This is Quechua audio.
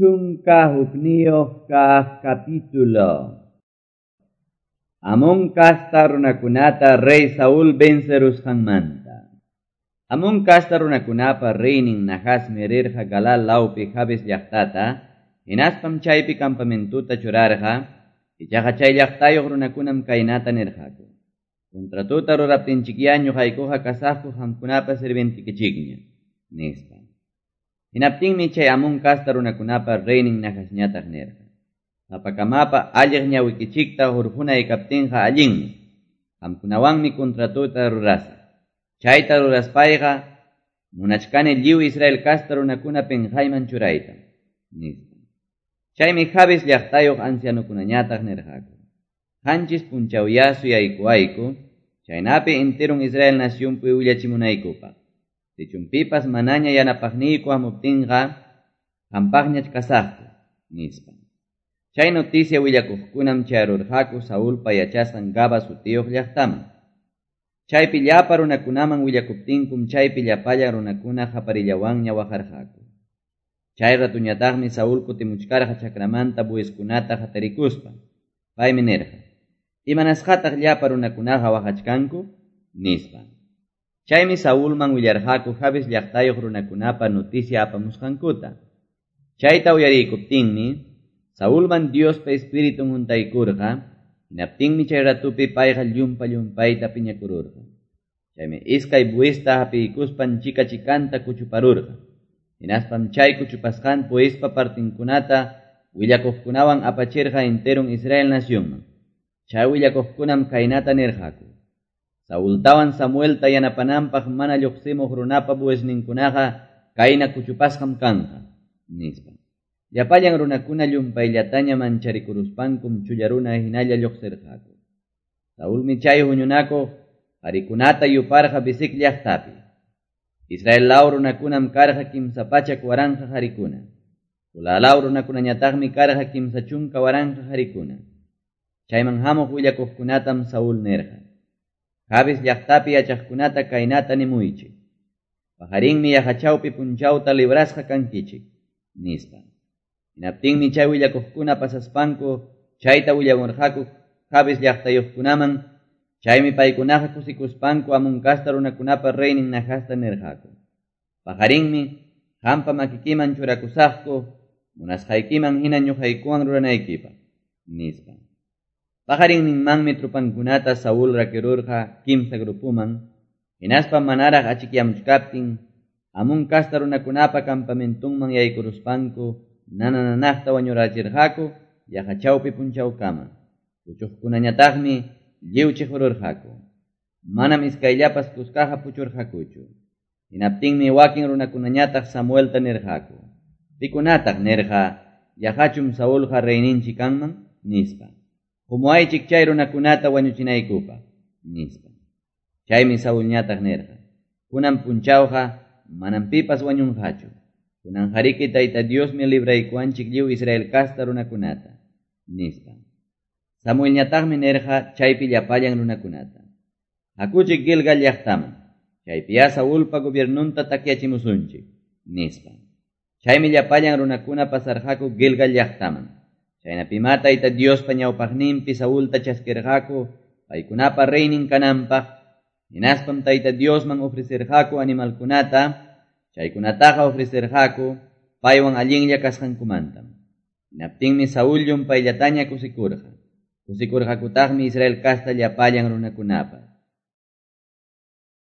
11 kaq capítulo. Amón casta runakunata rey Saúl vencerusqanmanta. Amón casta runakunapa reynin Nahasmi rirqa Galal lawpi Jabes llaqtata, hinaspam chaypi campamentuta churarqa, ichaqa chay llaqtayuq runakunam kaynata nirqaku. Contratuta ruraptinchikya ñuqaykuqa kasaqku qamkunapa sirvientikichikña, nispa. Hinaptinmi chay Amón casta runakunapa reynin Nahasñataq nirqa. Sapakamapa alliq ñawikichikta hurqunay kaptinqa allinmi. Qamkunawanmi contratuta rurasaq. Chayta ruraspayqa munachkani lliw Israel casta runakuna pinqayman churayta, nispa. Chaymi Jabes llaqtayuq ancianukunañataq nirqaku. Qanchis punchawya suyaykuwayku, chaynapi enterun Israel nacionpi willachimunaykupaq. Sichumpipas manaña yanapaqniyku hamuptinqa, qampaqñach kasaqku, nispa. Chay noticia willakuqkunam chayarurqaku Saulpa yachasqan Gaba sutiyuq llaqtaman. Chaypi llapa runakunaman willakuptinkum chaypi llapallan runakuna qaparillawanña waqarqaku. Chay ratuñataqmi Saúl kutimuchkarqa chakramanta bueskunata hatarikuspa. Paymi nirqa: "Imanasqataq llapa runakunaqa waqachkanku?" nispa. Chaymi Saúlman willarqaku Jabes llaqtayuq runakunapa noticia apamusqankuta. Chayta uyariykuptinmi Saúlman Diospa espiritun huntaykurqa, hinaptinmi chay ratupi payqa llumpa llumpayta piñakururqa. Chaymi iskay buesta hapiykuspan chika chikanta kuchuparurqa. Hinaspam chay kuchupasqan buespa partinkunata willakuqkunawan apachirqa enterun Israel nacionman. Chay willakuqkunam kaynata nirqaku: Saultawan Samuelta yanapananpaq mana lluqsimuq runapa buesninkunaqa kayna kuchupasqam kanqa, nispa. Llapallan runakuna llumpayllataña mancharikuruspankum chulla runa hinalla lluqsirqaku. Saulmi chay huñunakuq qarikunata yuparqa Bezek llaqtapi. Israel law runakunam karqa 300,000 qarikuna. Judá law runakunañataqmi karqa 30,000 qarikuna. Chayman hamuq willakuqkunatam Saúl nirqa: Jabes llaqtapi yachaqkunata kaynata nimuychik. Paqarinmi yaqachawpi punchawta librasqa kankichik, nispa. Hinaptinmi chay willakuqkuna pasaspanku chayta willamurqaku Jabes llaqtayuqkunaman, chaymi paykunaqa kusikuspanku Amón casta runakunapa reynin Nahasta nirqaku: Paqarinmi qampa makikiman churakusaqku, munasqaykiman hina ñuqaykuwan ruranaykipaq, nispa. Paqarinninmanmi trupankunata Saúl rakirurqa kimsa grupuman, hinaspa manaraq achikyamuchkaptin Amón casta runakunapa campamentunman yaykuruspanku nanananaqta wañurachirqaku yaqa chawpi punchawkama. Puchuqkunañataqmi lliw chiqururqaku. Manam iskayllapas kuskaqa puchurqakuchu. Hinaptinmi wakin runakunañataq Samuelta nirqaku: Pikunataq nirqa, yaqachum Saulqa reyninchik kanman, nispa. Humuaychik chay runakunata wañuchinaykupaq, nispa. Chaymi Saulñataq nirqa: Kunan punchawqa manam pipas wañunqachu. Kunan hariki Tayta Diosmi libraykuwanchik lliw Israel casta runakunata, nispa. Samuelñataqmi nirqa chaypi llapallan runakunata: Hakuchik Gilgal llaqtaman, chaypiya Saulpa gobiernunta takyachimusunchik, nispa. Chaymi llapallan runakuna pasarqaku Gilgal llaqtaman. Chaynapima Tayta Diospa ñawpaqninpi Saulta chaskirqaku paykunapa reynin kananpaq, hinaspam Tayta Diosman ofrecerqaku animalkunata, chaykunataqa ofrecerqaku paywan allinlla kasqankumantam. Hinaptinmi Saúl llumpayllataña kusikurqa. Kusikurqakutaqmi Israel casta llapallan runakunapas.